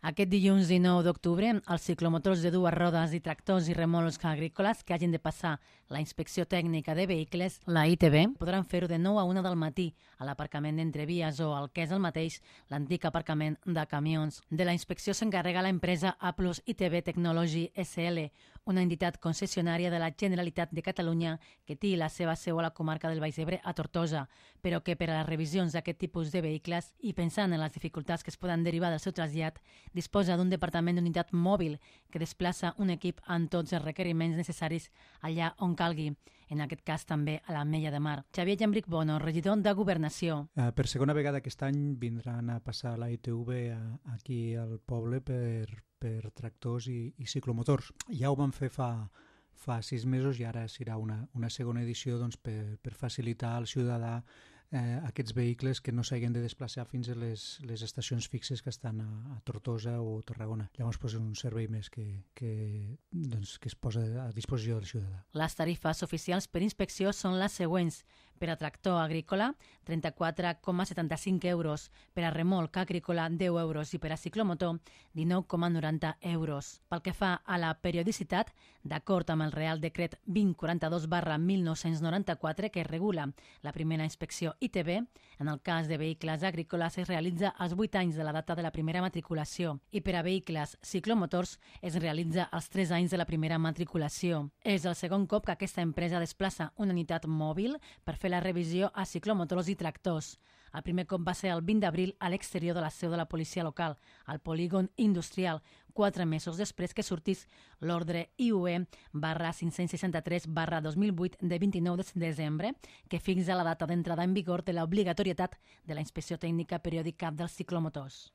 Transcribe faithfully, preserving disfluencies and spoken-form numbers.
Aquest dilluns dinou d'octubre, els ciclomotors de dues rodes i tractors i remolcs agrícoles que hagin de passar la inspecció tècnica de vehicles, la I T V, podran fer-ho de nou a una del matí a l'aparcament d'Entrevies o, el que és el mateix, l'antic aparcament de camions. De la inspecció s'encarrega l'empresa A plus I T V Technology S L, una entitat concessionària de la Generalitat de Catalunya que té la seva seu a la comarca del Baix Ebre, a Tortosa, però que per a les revisions d'aquest tipus de vehicles i pensant en les dificultats que es poden derivar del seu trasllat, disposa d'un departament d'unitat mòbil que desplaça un equip amb tots els requeriments necessaris allà on calgui, en aquest cas també a l'Ametlla de Mar. Xavier Llambric Bono, regidor de Governació. Uh, per segona vegada aquest any vindran a passar la I T V a, aquí al poble per, per tractors i, i ciclomotors. Ja ho vam fer fa, fa sis mesos i ara serà una, una segona edició doncs, per, per facilitar al ciutadà eh, aquests vehicles que no s'hagin de desplaçar fins a les, les estacions fixes que estan a, a Tortosa o Tarragona. Llavors posa un servei més que, que, doncs, que es posa a disposició del ciutadà. Les tarifes oficials per inspecció són les següents. Per a tractor agrícola, trenta-quatre coma setanta-cinc euros, per a remolc agrícola, deu euros i per a ciclomotor, dinou coma noranta euros. Pel que fa a la periodicitat, d'acord amb el Real Decret vint quaranta-dos barra mil nou-cents noranta-quatre que regula la primera inspecció I T V, en el cas de vehicles agrícoles es realitza als vuit anys de la data de la primera matriculació i per a vehicles ciclomotors es realitza als tres anys de la primera matriculació. És el segon cop que aquesta empresa desplaça una unitat mòbil per fer la revisió a ciclomotors i tractors. El primer cop va ser el vint d'abril a l'exterior de la seu de la policia local, al polígon industrial, quatre mesos després que sortís l'ordre I U E barra cinc-cents seixanta-tres barra dos mil vuit de vint-i-nou de desembre, que fixa la data d'entrada en vigor de l'obligatorietat de la inspecció tècnica periòdica dels ciclomotors.